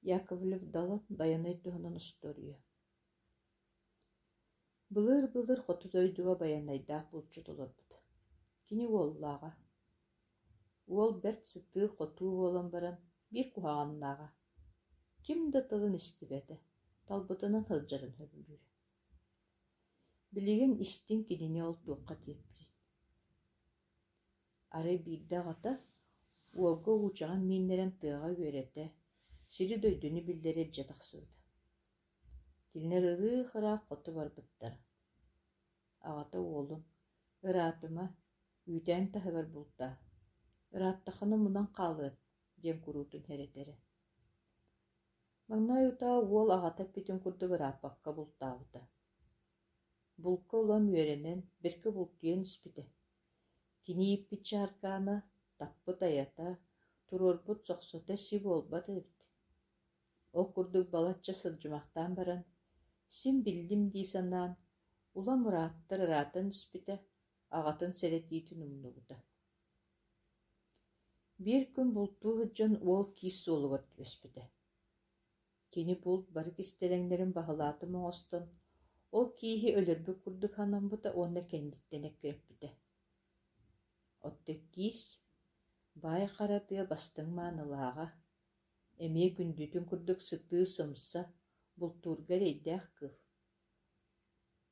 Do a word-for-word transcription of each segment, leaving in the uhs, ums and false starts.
Яковлев Далан Байанай туһунан остуоруйа. Былыр-былыр хоту дойдуга Байанайдаах булчут олорбут. Кини уоллааҕа. Уол бэрт сытыы-хотуу буолан баран биир куһаҕаннааҕа. Ким да тылын истибэтэ, талбытынан сылдьарын сөбүлүүрэ. Билигин истиҥ кинини ол туохха тиэрпитин. Арай биирдэ аҕата уолга уучаҕын мииннэрэн тыаҕа үөрэтэ, сири-дойдуну биллэрэ илдьэ тахсыбыта. Кинилэр ырыы-ыраах хоту барбыттара. Аҕата уолун: «Ыраатыма, үүтээн таһыгар бултаа, ырааттаххына мунан хаалыат» диэн куруутун сэрэтэрэ. Маҥнай утаа уол аҕата эппитин курдук ырааппакка бултаабыта. Булка улам үөрэнэн, бэркэ бултуйан испитэ. Кини ииппит чааркаана, таппыт айата, туруорбут сохсото си буолбат эбит. Ол курдук балачча сылдьымахтаан баран, син биллим дии санаан, улам ырааттар ыраатан испитэ, аҕатын сэрэтиитин умнубута. Биир күн бултуу сылдьан уол киис суолугар түбэспитэ. Кини булт бары кистэлэҥнэрин баһылаатым оҥостон, ол кииһи өлөрбүт курдук санаммыта уонна кэнниттэн эккирэппитэ. Оттон киис баай хара тыа бастыҥ маанылааҕа, эмиэ күндүтүн курдук сытыы-сымса, бултуурга эрэйдээх кыыл.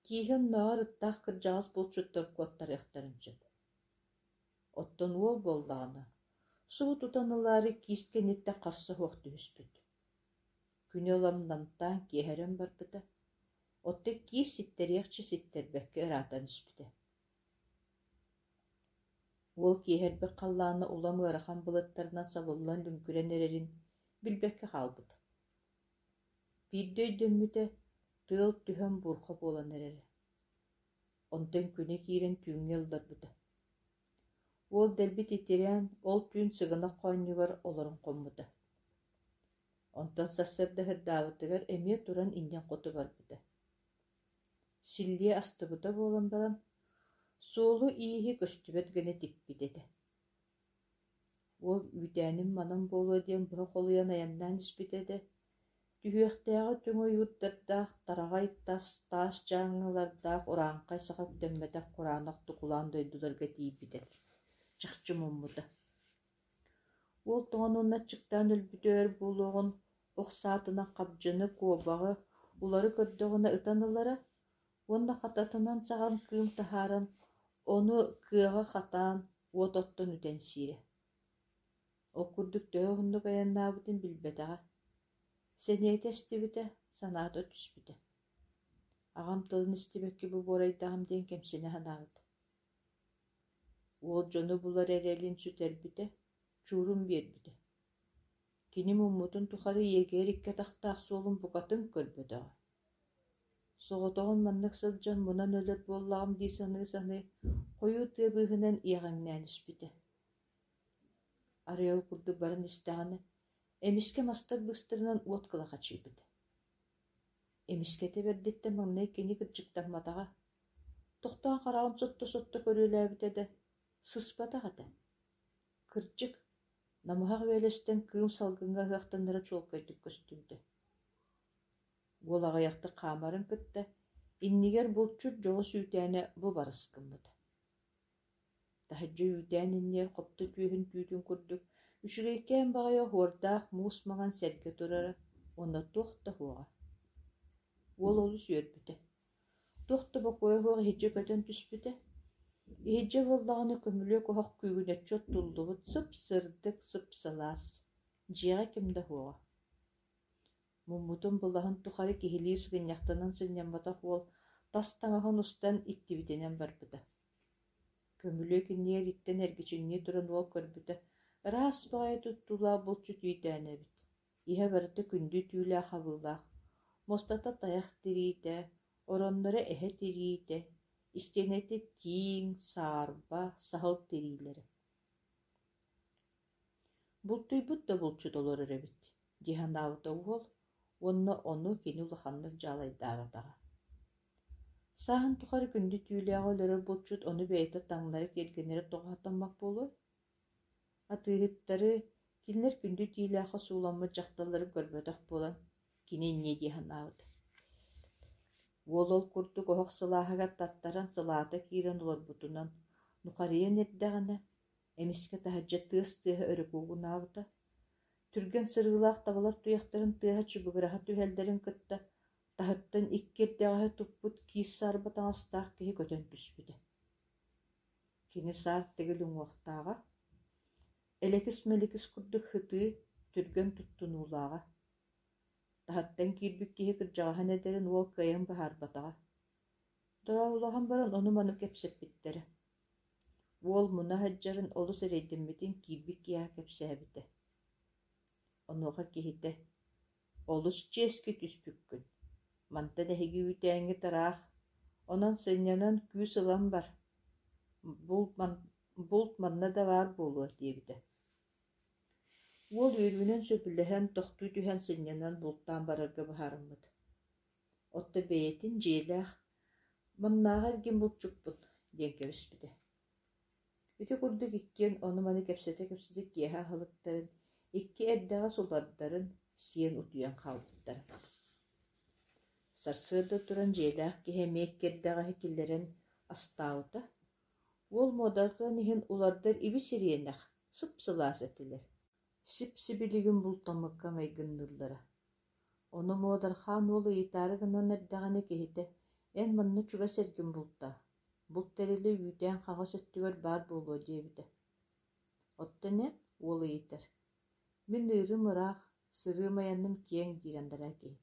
Кииһи оннооҕор ыттаах кырдьаҕас булчуттар куоттарыахтарын сөп. Оттон уол буоллаҕына, субу тутан ылаары киис кэнниттэн харса суох түһүспүт. Күнү улам намтаан киэһэрэн барбыта, оттон киис ситтэриэхчэ ситтэрбэккэ ыраатан испитэ. Уол киэһэрбит халлаана улам ыарахан былыттарынан сабыллан лүҥкүрэн эрэрин билбэккэ хаалбыта. Биирдэ өйдөммүтэ, тыал түһэн буурҕа буолан эрэрэ. Онтон күнэ киирэн түүҥҥэ ылларбыта. Уол дэлби титирээн, ол түүн сыгынах хоонньугар олорон хоммута. Онтон сарсыарда сырдаабытыгар эмиэ туран иннин хоту барбыта. Силлиэ астыбыта буолан баран, суолу-ииһи көстүбэт гына типпит этэ. Уол үүтээним манан буолуо диэн быһа холуйан айаннаан испитэ да, түһүөхтээҕи түҥ ойуурдардаах, тараҕай тас, таас дьааҥылардаах урааҥхай саха үктэммэтэх кураанах тукулаан дойдуларга тиийбитэ, чахчы муммута. Уол тоҥон уонна аччыктаан өлбүтэ өр буолуоҕун ох саатынан хабдьыны, куобаҕы, улары көрдөҕүнэ ытан ылара уонна хататынан саҕан кыым таһааран, ону кыаҕа хатаан, уот оттон үтэн сиирэ. Ол курдук төһө уһуннук айаннаабытын билбэтэҕэ. Сэниэтэ эстибитэ, санаата түспүтэ. Аҕам тылын истибэккэ бу буорайдаҕым диэн кэмсинэ санаабыта. Уол дьону булар эрэлин сүтэрбитэ, чуурун биэрбитэ. Кини муммутун тухары иэгэр икки атахтаах суолун букатын көрбөтөҕө. Соҕотоҕун маннык сылдьан мунан өлөр буоллаҕым дии саныы-саныы, хойуу тыа быыһынан иэҕэҥнээн испитэ. Арай ол курдук баран истэҕинэ, эмискэ мастар быыстарынан уот кылахачыйбыта. Эмискэтэ бэрдиттэн маҥнай кини кырдьыктамматаҕа, тохтоон хараҕын сотто-сотто көрүөлээбитэ да, сыспатах этэ. Кырдьык, намыһах үөлэстэн кыым салгыҥҥа ыһыахтанара чуолкайдык көстүбүтэ. Уол аҕыйахтык хаамарын кытта иннигэр булчут дьоҕус үүтээнэ бу барыс гыммыта. Таһырдьа үүтээн иннигэр хопто түөһүн түүтүн курдук үчүгэйкээн баҕайы оһуордаах муус маҥан сэргэ турара уонна туох да суоҕа. Уол олус үөрбүтэ. Туох да бокуойа суох иһирдьэ көтөн түспүтэ. Иһирдьэ буоллаҕына көмүлүөк оһох күүгүнэччи оттуллубут сып-сырдык, сып-сылаас. Дьиэҕэ ким да суоҕа. Муммутун былаһын тухары киһилии сыгынньахтанан сынньамматах уол тас таҥаһын устан иттибитинэн барбыта. Көмүлүөк иннигэр иттэн эргичиҥнии туран уол көрбүтэ, ыраас баҕайы туттуулаах булчут үүтээнэ эбит. Иһэ барыта күндү түүлээх хабыылаах, муостата тайах тириитэ, оронноро эһэ тириитэ, истиэнэтэ тииҥ, саарба, саһыл тириилэрэ. Бултуйбут да булчут олорор эбит дии санаабыта уол уонна ону кини улаханнык дьаалайдаабатаҕа. Сааһын тухары күндү түүлээҕи өлөрөр булчут ону бэйэтэ таҥнары киэргэнэрэ тоҕо сатаммат буолуой? Атыыһыттары, Кинилэр күндү тиилээххэ сууламмыт дьахталларын көрбөтөх буолан, кини инньэ дии санаабыт. Уол ол курдук оһох сылааһыгар таттаран сылаата киирэн олорбутунан нухарыйан эрдэҕинэ, эмискэ таһырдьа тыас тыаһа өрө куугунаабыта. Түргэн сырыылаах табалар туйахтарын тыаһа чыбыгыраһа түһэллэрин кытта таһыттан икки эрдэҕэһи туппут киис саарба таҥастаах киһи көтөн түспүтэ. Кини саар тэгил уҥуохтааҕа, элэкис-мэликис курдук сытыы, түргэн туттунуулааҕа. Таһыттан киирбит киһи кырдьаҕаһын этэрин уол кыайан быһаарбатаҕа. Дорооболоһон баран ону-маны кэпсэппиттэрэ. Уол муна сылдьарын олус эрэйдэммитин киирбит киһиэхэ кэпсээбитэ. Онуоха киһитэ: «Олус чиэски түспүккүн, мантан эһиги үүтээҥҥит ыраах, онон сынньанан күүс ылан бар, булт, ман, булт манна да баар буолуо» диэбитэ. Уол үөрүүнэн сөбүлэһэн, тохтуу түһэн сынньанан бултаан барарга быһаарыммыт. Оттон бэйэтин дьиэлээх «Маннааҕы эргин булчуппун» диэн кэбиспитэ. Ити курдук иккиэн ону-маны кэпсэтэ-кэпсэтэ киэһэ аһылыктарын, икки эрдэҕэс улардарын сиэн утуйан хаалбыттара. Сарсыарда туран дьиэлээх киһи эмиэ икки эрдэҕэһи киллэрэн астаабыта. Уол муодарҕыан иһин улардар ибис-ириэнэх, сып-сылаас этилэр. Сип-сибилигин бултаммыкка майгынныыллара. Ону муодархаан уол ыйытаары гынан эрдэҕинэ киһитэ: «Эн манна чугас эргин бултаа, булт тэрилэ үүтээн хаҥас өттүгэр баар буолуо» диэбитэ. Оттон эн, уол ыйытар, «Мин ыырым ыраах, сырыым айаным киэҥ» диир анараа киһи.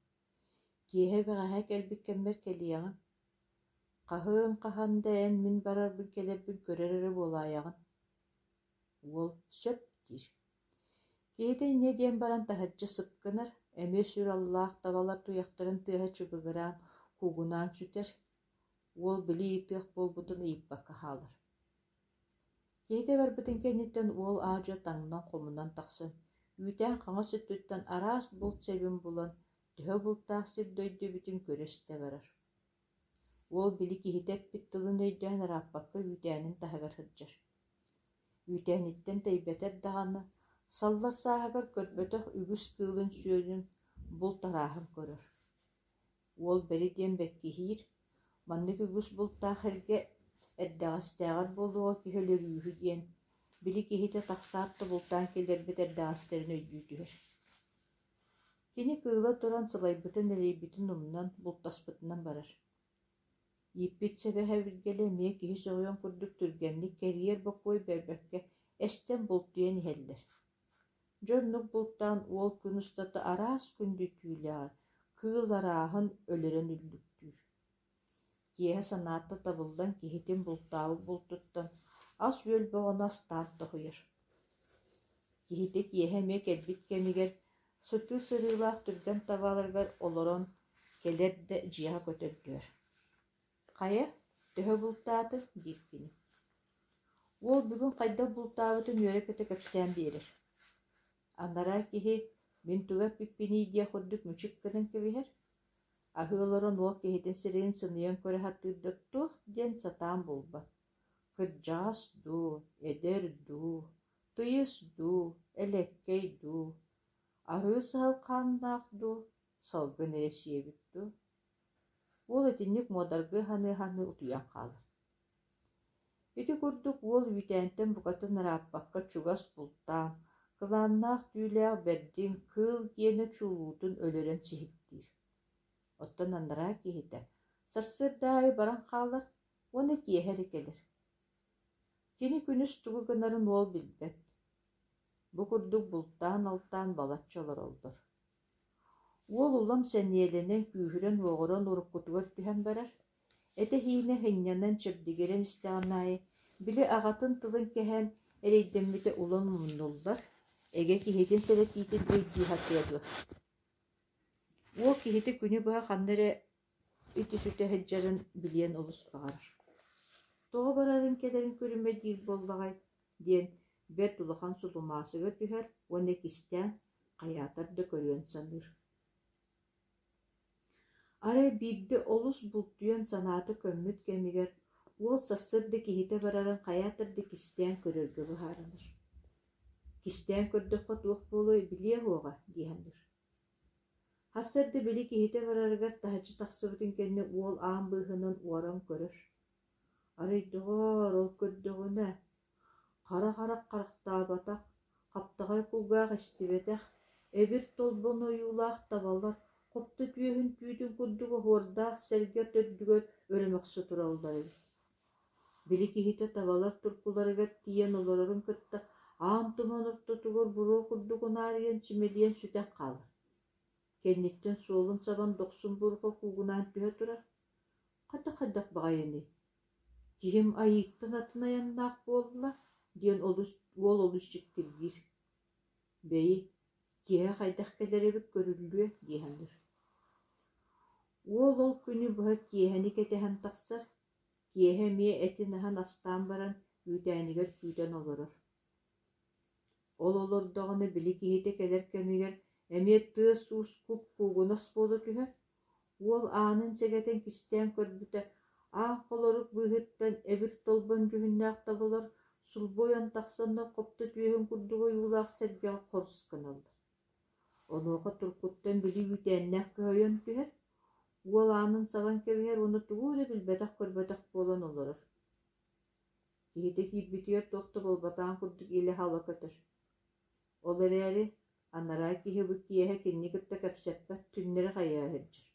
«Киэһэ бэҕэһээ кэлбит кэммэр кэлиэҕим. Хаһыын хаһан да эн мин барарбын кэлэрбин көрөр эрэ буолаайаҕын». Уол «сөп» диир. Киһитэ инньэ диэн баран таһырдьа сып гынар, эмиэ сүр аллаах табалар туйахтарын тыаһа чыбыгыраан, куугунаан сүтэр. Уол били ыйытыах буолбутун ыйыппакка хаалар. Киһитэ барбытын кэнниттэн уол аа-дьуо таҥнан хомунан тахсан, үүтээн хаҥас өттүттэн араас булт сэбин булан, төһө бултаах сир дойду эбитин көрө-истэ барар. Уол били киһитэ эппит тылын өйдөөн ырааппакка үүтээнин таһыгар сылдьар. Үүтээниттэн тэйбэтэр даҕаны, саллар сааһыгар көрбөтөх үгүс кыылын-сүөлүн, булт арааһын көрөр. Уол бэри диэн бэккиһиир, маннык үгүс бултаах эргэ эрдэҕэстээҕэр буолуоҕа киһи өлөрүүһү диэн, били киһитэ тахсаат да бултаан киллэрбит эрдэҕэстэрин өйдүү түһэр. Кини кыыла туран сылайбытын-элэйбитин умнан, бултаспытынан барар. Ииппит сэбэ-сэбиргэлэ эмиэ киһи сөҕүөн курдук түргэнник кэрийэр бокуой биэрбэккэ эстэн бултуйан иһэллэр. Дьэ оннук бултаан уол күн устата араас күндү түүлээҕи, кыыл арааһын өлөрөн үллүктүүр. Киэһэ санаата табыллан киһитин бултаабыт бултуттан ас-үөл бөҕөнү астаан тоһуйар. Киһитэ киэһэ эмиэ кэлбит кэмигэр сытыы сырыылаах түргэн табаларыгар олорон кэлэр да дьиэҕэ көтөрдүөр. «Хайа, төһө бултаатыҥ?» диир кини. Уол бүгүн хайдах бултаабытын үөрэ-көтө кэпсээн биэрэр. Анараа киһи мин тугу эппиппиний диэх курдук мүчүк гынан кэбиһэр. Аһыы олорон уол киһитин сирэйин сыныйан көрө сатыыр да туох диэн сатаан булбат. Кырдьаҕас дуу, эдэр дуу, тыйыс дуу, элэккэй дуу, арыы саһыл хааннаах дуу, салгын эрэ сиэбит дуу. Уол итинник муодаргыы саныы-саныы утуйан хаалар. Ити курдук уол үүтээнтэн букатын ырааппакка чугас бултаан, кылааннаах түүлээх бэрдин кыыл гиэнэ чулуутун өлөрөн сиһиктиир. Оттон анараа киһитэ сарсыарда аайы баран хаалар уонна киэһэ эрэ кэлэр. Кини күнүс тугу гынарын уол билбэт. Бу курдук бултаан-алтаан балачча олороллор. Уол улам сэниэлэнэн, күүһүрэн-уоҕуран уруккутугар түһэн барар. Этэ-сиинэ сынньанан, чэбдигирэн истэҕин аайы, били аҕатын тылын кэһэн эрэйдэммитэ улам умнуллар, эгэ киһитин сэрэтиитин өйдүү сатыа дуо. Уол киһитэ күнү быһа ханна эрэ ити-сүтэ сылдьарын билиэн олус баҕарар. Тоҕо барарын кэлэрин көрүмэ диир буоллаҕай диэн бэрт улахан сулумаасыга түһэр уонна кистээн хайаатар да көрүөн саныыр. Арай биирдэ олус бултуйан санаата көммүт кэмигэр уол сарсыарда киһитэ барарын хайаатар да кистээн көрөргө быһаарынар. Кистээн көрдөххө туох буолуой билиэ уоҕа дии саныыр. Сарсыарда били киһитэ барарыгар таһырдьа тахсыбытын кэннэ уол аан быыһынан уоран көрөр. Арай доҕоор, ол көрдөҕүнэ, хара харах харахтаабатах, хаптаҕай кулгаах истибэтэх, эбир толбон ойуулаах табалар хопто түөһүн түүтүн курдук оһуордаах сэргэ төрдүгэр өрө мөхсө тураллар эбит. Били киһитэ табалар туркуларыгар тиийэн олорорун кытта аан туман ортотугар буруо курдук унаарыйан чимэлийэн сүтэн хаалар. Кэнниттэн суолун сабан дохсун буурҕа куугунаан түһэ турар. Хата хайдах баҕайыный? Киһим айыыттан атын айаннаах буолла диэн олус, уол олус дьиктиргиир. Бэйи, киэһэ хайдах кэлэр эбит көрүллүө дии саныыр. Уол ол күнү быһа киэһэни кэтэһэн тахсар. Киэһэ эмиэ этин аһан астаан баран үүтээнигэр күүтэн олорор. Ол олордоҕуна били киһитэ кэлэр кэмигэр эмиэ тыас-уус куп-куугунас буола түһэр. Уол аанын сэгэтэн кистээн көрбүтэ, аан холорук быыһыттан эбир толбон дьүһүннээх табалар сулбу ойон тахсаннар хопто түөһүн курдук ойуулаах сэргэҕэ хорус гыналлар. Онуоха туркуттан били үүтээннээх көһөйөн түһэр, уол аанын сабан кэбиһэр уонна тугу да билбэтэх-көрбөтөх буолан олорор. Киһитэ киирбитигэр туох да буолбатаҕын курдук илэ-хала көтөр. Ол эрээри анараа киһи бу киэһэ кинини кытта кэпсэппэт, түннэри хайыһа сылдьар.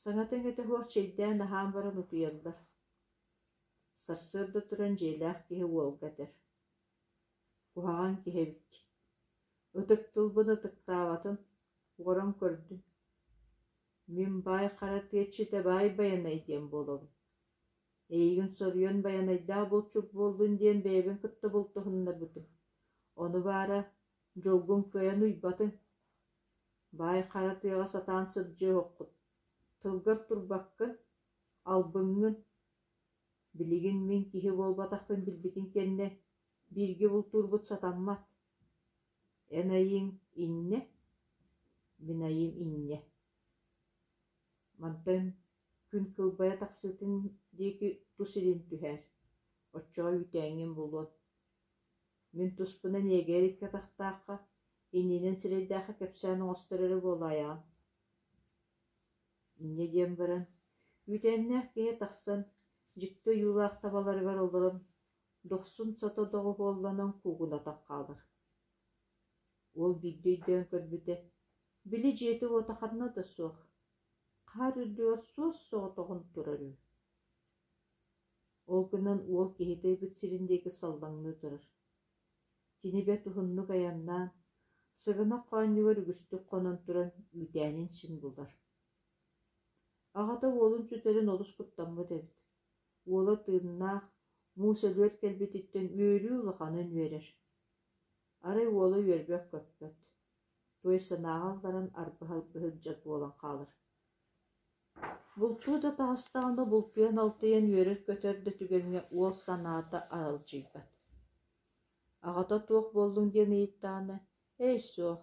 Саҥата-иҥэтэ суох чэйдээн аһаан баран утуйаллар. Сарсыарда туран дьиэлээх киһи уолга этэр: «Куһаҕан киһи эбиккин, ытык тылбын ытыктаабатын, уоран көрдүм. Мин баай хара тыа иччитэ Баай Байанай диэн буолабын. Эйигин соруйан байанайдаах булчут буоллун диэн бэйэбин кытта бултуһуннарбытым. Ону баара, дьолгун кыайан уйбатыҥ. Баай хара тыаҕа сатаан сылдьыа суоххут, тылгар турбаккын, албыҥҥын. Билигин мин киһи буолбатахпын билбитиҥ кэннэ бииргэ бултуурбут сатаммат. Эн айыыҥ иннэ, мин айыым иннэ. Мантан күн кылбайа тахсыытын диэки тус илин түһээр, оччоҕо үүтээҥҥин булуон. Мин туспунан иэгэр икки атахтаахха, иннинэн сирэйдээххэ кэпсээн оҥостор эрэ буолаайаҕын». Инньэ диэн баран, үүтээннээх киһи тахсан, дьикти ойуулаах табаларыгар олорон, дохсун сата доҕуһуолланан куугунатан хаалар. Уол биирдэ өйдөөн көрбүтэ, били дьиэтэ-уота ханна да суох, хаар үрдүгэр суос-соҕотоҕун турар үһү. Ол гынан уол киһитэ ыйбыт сирин диэки саллаҥныы турар. Кини бэрт уһуннук айаннаан, сыгынах хоонньугар үгүстүк хонон туран үүтээнин син булар. Аҕата уолун сүтэрин олус куттаммыт эбит. Уола тыыннаах, муус өлүөр кэлбититтэн үөрүү улаханын үөрэр. Арай уола үөрбэт-көппөт, туой санааҕа ылларан арбаһа сылдьар буолан хаалар. Бултуу да таҕыстаҕына бултуйан-алтыйан үөрэр-көтөр да түгэҥҥэ уол санаата аралдьыйбат. Аҕата туох буоллуҥ диэн ыйыттаҕына, «Эй, суох,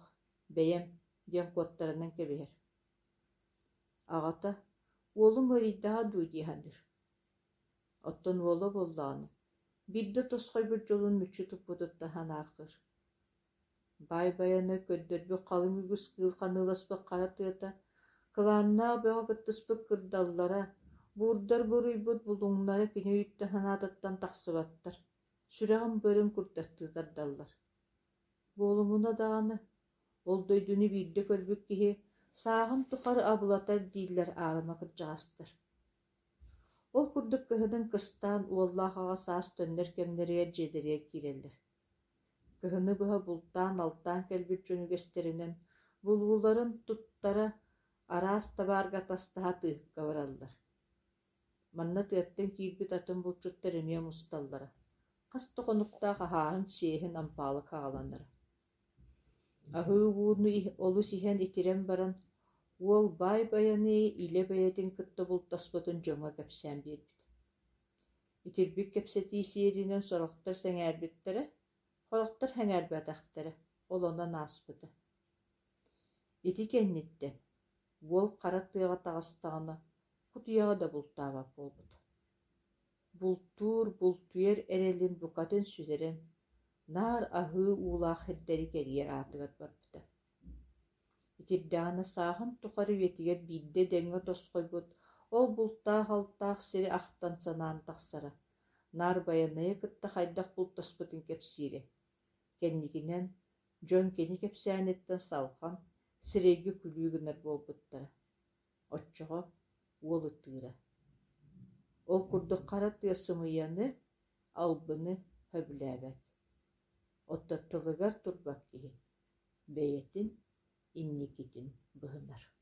бэйэм» диэн куоттарынан кэбиһэр. Аҕата «Уолум ыарыйдаҕа дуу» дии саныыр. Оттон уола буоллаҕына, биирдэ тосхойбут дьолун мүччү туппутуттан санаарҕыыр. Баай Байанай көрдөрбүт халыҥ үгүс кыыл ханыыласпыт хара тыата, кылааннаах бөҕө кыттыспыт кырдаллара, буурдар буруйбут булуҥнара кини өйүттэн санаатыттан тахсыбаттар, сүрэҕин быарын курдаттыы тардаллар. Буолумуна даҕаны, ол дойдуну биирдэ көрбүт киһи сааһын тухары абылатар дииллэр аарыма кырдьаҕастар. Ол курдук кыһынын кыстаан уоллаах аҕа саас төннөр кэмнэригэр дьиэлэригэр киирэллэр. Кыһыны быһа бултаан-алтаан кэлбит дьон үгэстэринэн булууларын туттара, араас табаарга атастаһа тыыһыкка бараллар. Манна тыаттан киирбит атын булчуттар эмиэ мусталлара, хас да хонуктаах аһааһын-сиэһин ампаалык аҕаланара. Аһыы ууну олус иһэн итирэн баран, уол Баай Байанайы илэ бэйэтин кытта бултаспытын дьоҥҥо кэпсээн биэрбит. Итирбит кэпсэтии сиэринэн сорохтор сэҥээрбиттэрэ, сорохтор сэҥээрбэтэхтэрэ, ол онон ааспыта. Ити кэнниттэн уол хара тыаҕа таҕыстаҕына, кутуйаҕы да бултаабат буолбута. Бултуур, бултуйар эрэлин букатын сүтэрэн, Наар аһыы уулаах сирдэри кэрийэр аатыгар барбыта. Итирдэҕинэ сааһын тухары үйэтигэр биирдэ дэҥҥэ тосхойбут ол бултаах-алтаах сири ахтан санаан тахсара, наар Байанайы кытта хайдах бултаспытын кэпсиирэ. Кэнникинэн дьон кини кэпсээниттэн салҕан, сирэйгэ күлүү гынар буолбуттара. Оччоҕо уол ытыыра. Ол курдук хара тыа сымыйаны, албыны сөбүлээбэт. Оттон тылыгар турбат киһи бэйэтин инникитин быһынар.